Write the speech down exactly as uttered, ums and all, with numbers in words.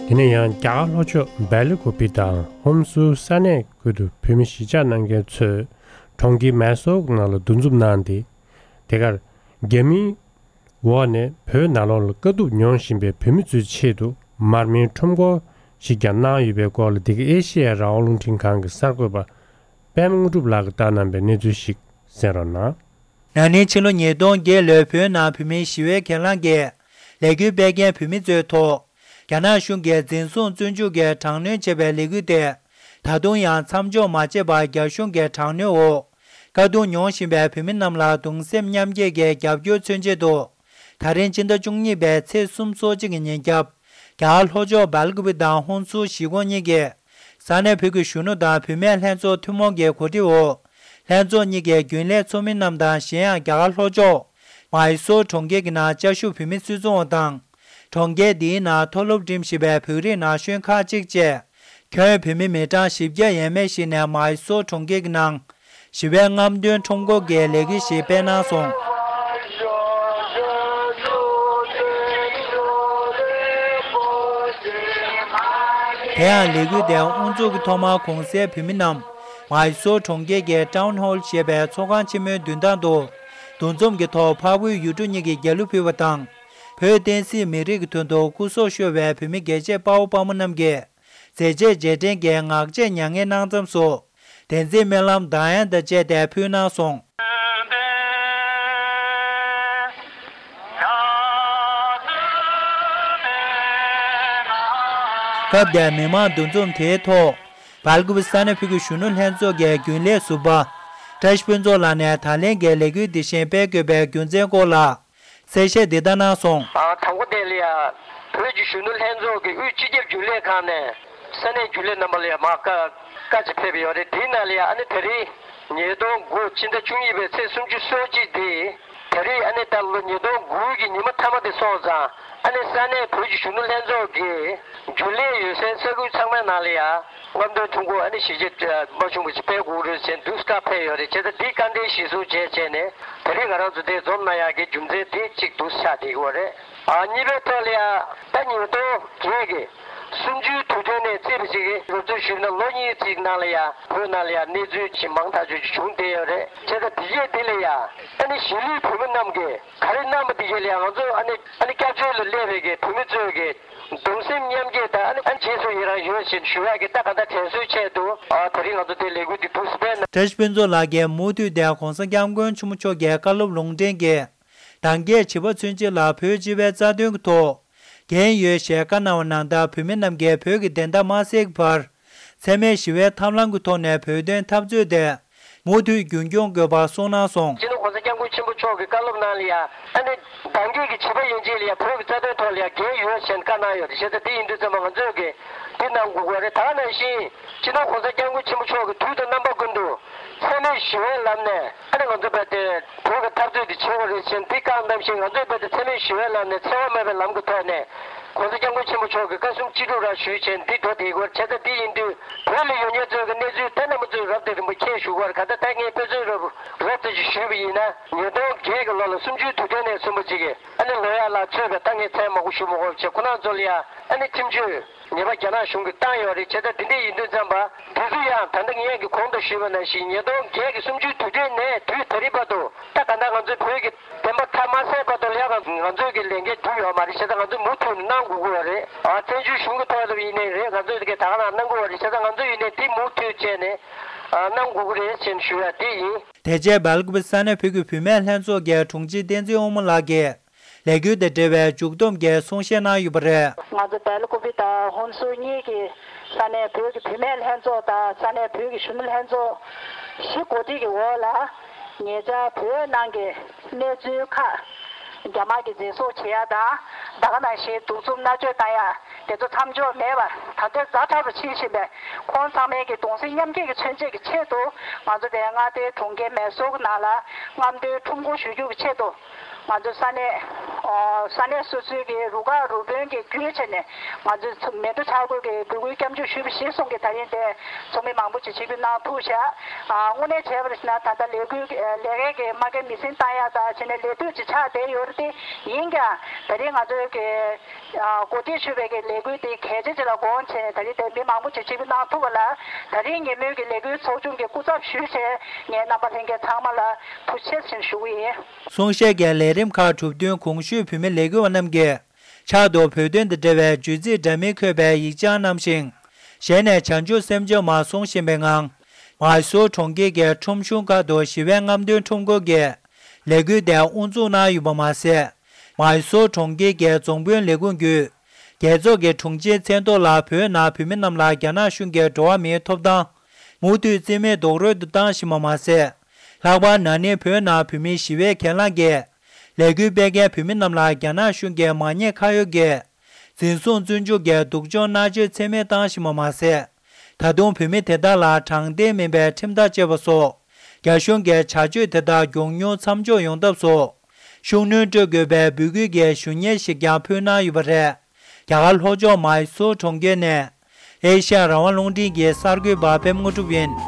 དེ་ནས་ཡང་རྒྱ་གར་ལྷོ་ཕྱོགས་སྦེལ་ཀོབ་དང་ཧོན་སུར་ས་གནས་ཁུལ་དུ་བོད་མི་གཞིས་ཆགས་གནང་མཁན་ཚོས་གྲོང་ཁྱེར་མེ་སོར་ནང་ལ་འདུ་འཛོམས་གནང་སྟེ། དེ་གར་རྒྱ་མིའི་འོག་ནས་བོད་ནང་ལོགས་ལ་དཀའ་སྡུག་མྱོང་བཞིན་པའི་བོད་མི་ཚོའི་ཆེད་དུ་མར་མེའི་ཁྲོམ་སྐོར་ཞིག་ཀྱང་གནང་ཡོད་པའི་སྐོར་ལ། འདི་ག་ཨེ་ཤེ་ཡ་རང་དབང་རླུང་འཕྲིན་ཁང་གི་གསར་འགོད་པ་པད་མ་དངོས་གྲུབ་ལགས་ཀྱིས་བཏང་གནང་པའི་གནས་ཚུལ་ཞིག་གསན་རོགས་གནང་། ན་ནིང་ཕྱི་ལོ་ཉིས་སྟོང་བརྒྱད་ལོའི་བོད་ནང་བོད་མིའི་ཞི་བའི་གྱེན་ལངས་ཀྱི་ལས་འགུལ་སྤེལ་མཁན་བོད་མི་ཚོའི་ཐོག་རྒྱ་ནག་གཞུང་གིས་འཛིན་བཟུང་བཙོན་འཇུག་གིས་དྲག་གནོན་བྱས་པའི་ལས་འགུལ་དེ། ད་དུང་ཡང་མཚམས་འཇོག་མ་བྱས་པར་རྒྱ་གཞུང་གི་དྲག་གནོན་འོག་དཀའ་སྡུག་མྱོང་བཞིན་པའི་བོད་མི་རྣམས་ལ་གདུང་སེམས་མཉམ་སྐྱེད་ཀྱི་རྒྱབ་སྐྱོར་མཚོན་ཆེད་དུ། ད་རིང་ཕྱི་ཟླ་བཅུ་གཉིས་པའི་ཚེས་སོ་གཅིག་གི་ཉིན་རྒྱབ། རྒྱ་གར་ལྷོ་ཕྱོགས་སྦེལ་ཀོབ་དང་ཧོན་སུར་གཞིས་ཁོངས་གཉིས་ཀྱི་ས་གནས་བོད་ཀྱི་གཞོན་ནུ་དང་བུད་མེད་ལྷན་ཚོགས་ཐུན་མོང་གི་གོ་སྒྲིག་འོག་ལྷན་ཚོགས་གཉིས་ཀྱི་རྒྱུན་ལས་ཚོགས་མི་རྣམས་དང་། གཞན་ཡང་རྒྱ་གར་ལྷོ་ཕྱོགས་མཱི་སོར་གྲོང་ཁྱེར་གྱི་ནང་བཅའ་བཞུགས་བོད་མི་སུད་ཚོང་བ་དང་། གྲོང་ཁྱེར་འདིའི་ནང་མཐོ་སློབ་འགྲིམ་བཞིན་པའི་བོད་རིགས་ན་གཞོན་ཁག་ཅིག་བཅས། ཁྱོན་བོད་མི་མི་གྲངས་བཞི་བརྒྱ་ཡས་མས་ཤིག་ནས་མཱི་སོར་གྲོང་ཁྱེར་གྱི་ནང་ཞི་བའི་རྔམ་སྟོན་ཁྲོམ་སྐོར་གྱི་ལས་འགུལ་ཞིག་སྤེལ་གནང་སོང་། དེ་ཡང་ལས་འགུལ་དེའི་དབུ་འཛུགས་ཀྱི་ཐོག་མར་གོང་གསལ་བོད་མི་རྣམས་མཱི་སོར་གྲོང་ཁྱེར་གྱི་ཊའུན་ཧོལ་ཞེས་པའི་ཚོགས་ཁང་ཆེན་མོའི་མདུན་ཐང་དུ་འདུ་འཛོམས་ཀྱི་ཐོག་འཕགས་བོད་ཡུལ་གྲུ་གཉིས་ཀྱི་རྒྱལ་གླུ་ཕུལ་བ་དང་། བོད་བསྟན་སྲིད་མི་རིགས་ཀྱི་དོན་དུ་སྐུ་སྲོག་ཤོར་བའི་བོད་མི་རྒྱལ་གཅེས་དཔའ་བོ་དཔའ་མོ་རྣམས་ཀྱི་མཛད་རྗེས་རྗེས་དྲན་གྱི་ངག་བཅད་མྱ་ངན་གནང་མཚམས་སུ། བདེན་ཚིག་སྨོན་ལམ་གདངས་དབྱངས་དང་བཅས་ཏེ་ཕུལ་གནང་སོང་། སྐབས་དེར་མི་མང་འདུ་འཛོམས་དེའི་ཐོག་སྦེལ་ཀོབ་ས་གནས་བོད་ཀྱི་གཞོན་ནུ་ལྷན་ཚོགས་ཀྱི་རྒྱུན་ལས་ཟུར་པ་བཀྲ་ཤིས་ཕུན་ཚོགས་ལགས་ནས་ད་ལན་གྱི་ལས་འགུལ་འདི་བཞིན་སྤེལ་དགོས་པའི་རྒྱུ་མཚན་སྐོར་ལ། གསལ་བཤད་འདི་ལྟར་གནང་སོང་། ཨ། དང་པོ་དེ་ལ་ཡ། བོད་ཀྱི་གཞོན་ནུ་ལྷན་ཚོགས་ཀྱི་དབུས་སྤྱི་ཁྱབ་རྒྱུན་ལས་ཁང་ནས་ས་གནས་རྒྱུན་ལས་རྣམ་པ་ལ་ཡ་མར་བཀའ་བཀའ་ཅིག་ཕེབས་ཡོད་རེད། དེའི་ནང་ལ་ཡ་ཨ་ནི་ད་རེས་ཉིས་སྟོང་དགུ་ཕྱི་ཟླ་བཅུ་གཉིས་པའི་ཚེས་སུམ་ཅུ་སོ་གཅིག་དེ། ད་རེས་ཨ་ནི་ད་ལོ་ཉིས་སྟོང་དགུ་གི་ཉི་མ་མཐའ་མ་དེ་སོང་ཙང་ཨ་ནི་ས་གནས་བོད་ཀྱི་གཞོན་ནུ་ལྷན་ཚོགས་ཀྱི་རྒྱུན་ལས་ཡོད་སའི་ས་ཁུལ་ཚང་མའི་ནང་ལ་ཡ། རྔམ་སྟོན་ཐུང་ངུ་ཨ་ནི་གཞིས་བྱེས་མ་ཆུང་བ་ཞིག་སྤེལ་དགོས་རེད་ཟེར་འདུག་བཀའ་ཕེབས་ཡོད་རེད། བྱས་ཙང་འདི་བཀའ་འདྲི་གཞིར་བཟུང་བྱས་བྱས་ནས་ད་རེས་ང་རང་ཚོ་འདིར་འཛོམས་གནང་ཡག་གི་རྒྱུ་མཚན་དེ་གཅིག་འདུག་ཆགས་བསྡད་ཀྱི་ཡོད་རེད། ཨ། གཉིས་པའི་ཐོག་ལ་ཡ་ད་ཉིས་སྟོང་བརྒྱད་ཀྱི་གསུམ་བཅུའི་དུས་དྲན་ནས་བརྩིས་པ་ཞིག་གི་རོབ་ཚོད་ཞུས་ན་ལོ་གཉིས་ཙམ་ནང་ལ་ཡ་བོད་ནང་ལ་ཡ་གནས་ཚུལ་ཞིག་མང་ཐག་ཆོད་ཅིག་བྱུང་བསྡད་ཡོད་རེད། བྱས་ཙང་དེ་རྗེས་འདི་ལ་ཡ་ཨ་ནི་གཞིས་ལུས་བོད་མི་རྣམས་ཀྱིས་ག་རེ་གནང་པ་དེ་རྗེས་ལ་ཡ་ང་ཚོ་ཨ་ནི་ཨ་ནི་སྐྱབས་བཅོལ་ལ་སླེབས་པའི་གི་བོད་མི་ཚོས་གི་གདུང་སེམས་མཉམ་སྐྱེད་དང་ཨ་ནི་ཨ་ནི་རྗེས་སུ་ཡི་རང་ཡོད་ཅེས་ཞུ་ཡག་གི་ད་ག་ད་དྲན་གསོའི་ཆེད་དུ་ཨ་ད་རེས་ང་ཚོ་དེ་ལས་འགུལ་འདི་འདུག་སེ་སྤེལ་གནང་། བཀྲ་ཤིས་ཕུན་ཚོགས་ལགས་ཀྱིས་མུ་མཐུད་དེ་༸གོང་ས་༸སྐྱབས་མགོན་ཆེན་པོ་མཆོག་གི་བཀའ་སློབ་ལུང་འདྲེན་གྱིས་གདངས་སྐྱེས་བྱིས་པ་ཚུན་ཆད་ལ་བོད་སྤྱི་པའི་རྩ་དོན་གྱི་ཐོག་འགན་ཡོད་ཞེས་བཀའ་གནང་བ་ནང་ལྟར་བོད་མི་རྣམས་ཀྱིས་བོད་ཀྱི་བདེན་མཐའ་མ་གསལ་གྱི་བར། འཚེ་མེད་ཞི་བའི་ཐབས་ལམ་གྱི་ཐོག་ནས་བོད་དོན་འཐབ་རྩོད་དེ་མུ་མཐུད་རྒྱུན་སྐྱོང་དགོས་པ་གསུངས་གནང་སོང་། སྤྱི་ནོར་༸གོང་ས་༸སྐྱབས་མགོན་ཆེན་པོ་མཆོག་གི་བཀའ་སློབ་ནང་ལ་ཡ་ཨ་ནི་གདངས་སྐྱེས་ཀྱི་བྱིས་པ་ཡན་ཆད་ལ་ཡ་བོད་ཀྱི་རྩ་དོན་ཐོག་ལ་ཡ་འགན་ཡོད་ཅེས་བཀའ་གནང་ཡོད་རེད། བྱས་ཙང་དེ་ཡིན་དུས་ཙམ་པ་ང་ཚོས་ཀྱི་འདི་གནང་དགོས་ཀྱི་རེད། ད་ག་ནང་བཞིན་སྤྱི་ནོར་༸གོང་ས་༸སྐྱབས་མགོན་ཆེན་པོ་མཆོག་གི་དུས་དང་རྣམ་པ་ཀུན་ཏུ་འཚེ་མེད་ཞི་བའི་ལམ་ནས་ཨ་ནི་ང་ཚོ་རྦད་དེ་བོད་ཀྱི་འཐབ་རྩོད་འདི་བྱེད་དགོས་རེད་ཅེས་འདི་བཀའ་གནང་བཞིན་ང་ཚོས་རྦད་དེ་འཚེ་མེད་ཞི་བའི་ལམ་ནས་འཚེ་བ་མེད་པའི་ལམ་གྱི་ཐོག་ནས་༸གོང་ས་༸སྐྱབས་མགོན་ཆེན་པོ་མཆོག་གི་བཀའ་གསུང་ཅི་སྒྲུབ་རང་ཞུས་བྱས་འདི་འགྲོ་བསྡད་ཀྱི་ཡོད་རེད། བྱས་ཙང་འདི་ཡིན་དུས་བོད་ལ་ཡོད་མཁན་ཚོས་ཀྱི་གནས་ཚུལ་དེ་རྣམ་པ་ཚོས་རོབ་ཙམ་རིམ་པ་མཁྱེན་ཞུ་དགོས་རེད། ག་ད་ལྟ་ངས་དཔེ་མཚོན་རོབ་རོབ་ཙམ་ཞིག་ཞུས་པ་ཡིན་ན་ཉིས་སྟོང་བརྒྱད་ཀྱི་ལོ་ལ་གསུམ་བཅུའི་དུས་དྲན་ནས་བཟུང་བ་ཅིག་གི་ཨ་ནི་ལོ་ཡག་ལ་ཚོད་པའི་ད་ངས་མཚན་མང་པོ་ཞུ་མ་དགོས་པ་བྱས་ཁོ་རང་ཚོ་ལ་ཡ་ཨ་ནི་ཁྲིམས་གཅོད་ཉེས་པ་རྒྱ་ནག་གཞུང་གིས་བཏང་ཡོད་རེད། བྱས་ཙང་འདི་འདྲ་ཡིན་དུས་ཙམ་པ་འདི་ཚོ་ཡང་ད་ལྟ་ངས་ཀྱི་གོང་དུ་ཞུས་པ་ནང་བཞིན་ཉིས་སྟོང་བརྒྱད་ཀྱི་གསུམ་བཅུའི་དུས་དྲན་ནས་དུས་ད་རེས་བར་དུ་ད་ག་ད་ང་ཚོའི་བོད་ཀྱི་བདེན་པ་མཐའ་མ་གསལ་བར་དུ་ལ་ཡ་ང་ཚོས་ཀྱི་ལས་འགན་བསྒྲུབས་ཡོད་མ་རེད། བྱས་ཙང་ང་ཚོས་མུ་མཐུད་ནས་གནང་དགོས་ཀྱི་ཡོད་རེད། ཨ་བཙན་བྱོལ་གཞུང་གི་ཐོག་ལ་ཡིན་ནའི་རེད། ང་ཚོས་ཀྱི་ད་ག་ན་གནང་དགོས་པ་རེད། བྱས་ཙང་ང་ཚོ་ཡིན་ནའི་འདི་མུ་མཐུད་བྱས་ནས་ཨ་གནང་དགོས་ཀྱི་རེད་ཅེས་ཞུ་ཡ་དེ་ཡིན། དེ་རྗེས་སྦེལ་ཀོབ་ས་གནས་བོད་ཀྱི་བུད་མེད་ལྷན་ཚོགས་ཀྱི་དྲུང་ཆེ་བསྟན་འཛིན་དབང་མོ་ལགས་ཀྱིས་ལས་འགུལ་དང་འབྲེལ་བའི་མཇུག་བསྡོམས་ཀྱི་གསུང་བཤད་གནང་ཡོད་པ་རེད། ང་ཚོ་སྦེལ་ཀོབ་དང་ཧོན་སུར་གཉིས་ཀྱི་ས་གནས་བོད་ཀྱི་བུད་མེད་ལྷན་ཚོགས་དང་ས་གནས་བོད་ཀྱི་གཞོན་ནུ་ལྷན་ཚོགས་བཞི་གོ་སྒྲིག་གི་འོག་ལ་ཉེ་ཆར་བོད་ནང་གི་གནས་ཚུལ་ཁག་རྒྱ་དམར་གྱིས་འཛིན་བཟུང་བྱེད་ཡ་དང་ད་ག་ནང་བཞིན་གདུག་རྩུབ་མནར་གཅོད་བཏང་ཡ་དེ་ཚོ་མཚམས་འཇོག་མེད་པར་ད་ལྟའི་ཛ་དྲག་ཏུ་ཕྱིན་བཞིན་པའི་ཁོང་ཚང་མའི་གི་གདུང་སེམས་མཉམ་སྐྱེད་ཀྱི་མཚོན་བྱེད་ཀྱི་ཆེད་དུ་ང་ཚོ་དེ་མངའ་སྡེའི་གྲོང་ཁྱེར་མེ་སོར་གྱི་ནང་ལ་རྔམ་སྟོན་ཁྲོམ་སྐོར་ཞུ་རྒྱུ་གི་ཆེད་དུ་ ང་ཚོ་ས་གནས་ཨོ་ས་གནས་སོ་སོའི་གི་རུ་ཁག་རུ་དཔོན་གྱི་བརྒྱུད་བྱས་ནས་ང་ཚོས་མལ་གྲོ་འཆར་འགོད་ཀྱི་འབོད་སྐུལ་སྐྱབས་འཇུག་ཞུས་པ་གཞིར་བཟུང་གི་ད་རིང་དེ་ཚོགས་མི་མང་པོ་ཅིག་ཆིབས་བསྒྱུར་གནང་ཐུབ་བྱས། ཨ་དངོས་གནས་བྱས་པ་རེད་ཟེར་ན་ད་ལྟ་ལས་འགུལ་ལས་ཀའི་གི་མ་གི་མི་སེམས་བཏང་ཡག་དང་བྱས་ནས་ལས་དུས་ཅིག་ཆགས་བསྡད་ཡོད་རེད་དེ། ཡིན་ཀྱང་ད་རིང་ང་ཚོའི་གི་ཨ་གོ་སྒྲིག་ཞུས་པའི་གི་ལས་འགུལ་དེ་གལ་ཆེ་ཆེ་ལ་དགོངས་བྱས་ནས་ད་རིང་དེ་མི་མང་པོ་ཅིག་ཆིབས་བསྒྱུར་གནང་ཐུབ་པ་ལ་ད་རིང་ཉིན་མོའི་གི་ལས་འགུལ་ཚོགས་ཆུང་གི་སྐུ་ཚབ་ཞུས་བྱས་ངས་རྣམ་པ་ལྷན་རྒྱས་ཚང་མ་ལ་ཐུགས་རྗེ་ཆེ་ཞུ་གི་ཡིན། གསུང་བཤད་ཀྱི་ལས་རིམ་ཁག་གྲུབ་བསྟུན་གོང་ཞུས་བོད་མི་ལས་འགུལ་བ་རྣམས་ཀྱིས་ཕྱག་ཏུ་བོད་དོན་དང་འབྲེལ་བའི་བརྗོད་ཚིག་འདྲ་མིན་འཁོད་པའི་ཡིག་ཆ་བསྣམས་ཤིང་། ཞལ་ནས་བྱང་ཆུབ་སེམས་མཆོག་མར་གསུང་བཞིན་པའི་ངང་། མའི་སོར་གྲོང་ཁྱེར་གྱི་ཁྲོམ་གཞུང་ཁག་ཏུ་ཞི་བའི་རྔམ་སྟོན་ཁྲོམ་སྐོར་གྱི་ལས་འགུལ་དེ་དབུ་འཛུགས་གནང་ཡོད་པ་མ་ཟད། མའི་སོར་གྲོང་ཁྱེར་གྱི་རྫོང་དཔོན་ལས་ཁུངས་བརྒྱུད། རྒྱལ་ཚོགས་ཀྱི་དྲུང་ཆེའི་མཚན་ཐོག་ལ་བོད་ནང་བོད་མི་རྣམས་ལ་རྒྱ་ནག་གཞུང་གིས་འགྲོ་བ་མིའི་ཐོབ་ཐང་མུ་མཐུད་རྩིས་མེད་རྡོག་རོལ་དུ་བཏང་བཞིན་པ་མ་ཟད། ལྷག་པར་ན་ནིང་བོད་ནང་བོད་མིའི་ཞི་བའི་གྱེན་ལངས་ཀྱི་ལས་འགུལ་སྤེལ་མཁན་བོད་མི་རྣམས་ལ་རྒྱ་ནག་གཞུང་གིས་མ་ཉེས་ཁ་གཡོགས་ཀྱིས་འཛིན་བཟུང་བཙོན་འཇུག་གིས་སྡུག་སྦྱོང་མནར་གཅོད་ཚད་མེད་བཏང་བཞིན་པ་མ་ཟད། ད་དུང་བོད་མི་དེ་དག་ལ་དྲང་བདེན་མིན་པའི་ཁྲིམས་ཐག་བཅད་པ་སོགས། རྒྱ་གཞུང་གི་བྱ་སྤྱོད་དེ་དག་མགྱོགས་མྱུར་མཚམས་འཇོག་ཡོང་ཐབས་སུ། ཤུགས་སྣོན་སྤྲོད་དགོས་པའི་འབོད་སྐུལ་གྱི་ཞུ་སྙན་ཞིག་ཀྱང་ཕུལ་གནང་ཡོད་པ་རེད། རྒྱ་གར་ལྷོ་ཕྱོགས་མའི་སོར་གྲོང་ཁྱེར་ནས། ཨེ་ཤ་ཡ་རང་དབང་རླུང་འཕྲིན་གྱི་གསར་འགོད་པ་པད་མ་དངོས་གྲུབ་ཡིན།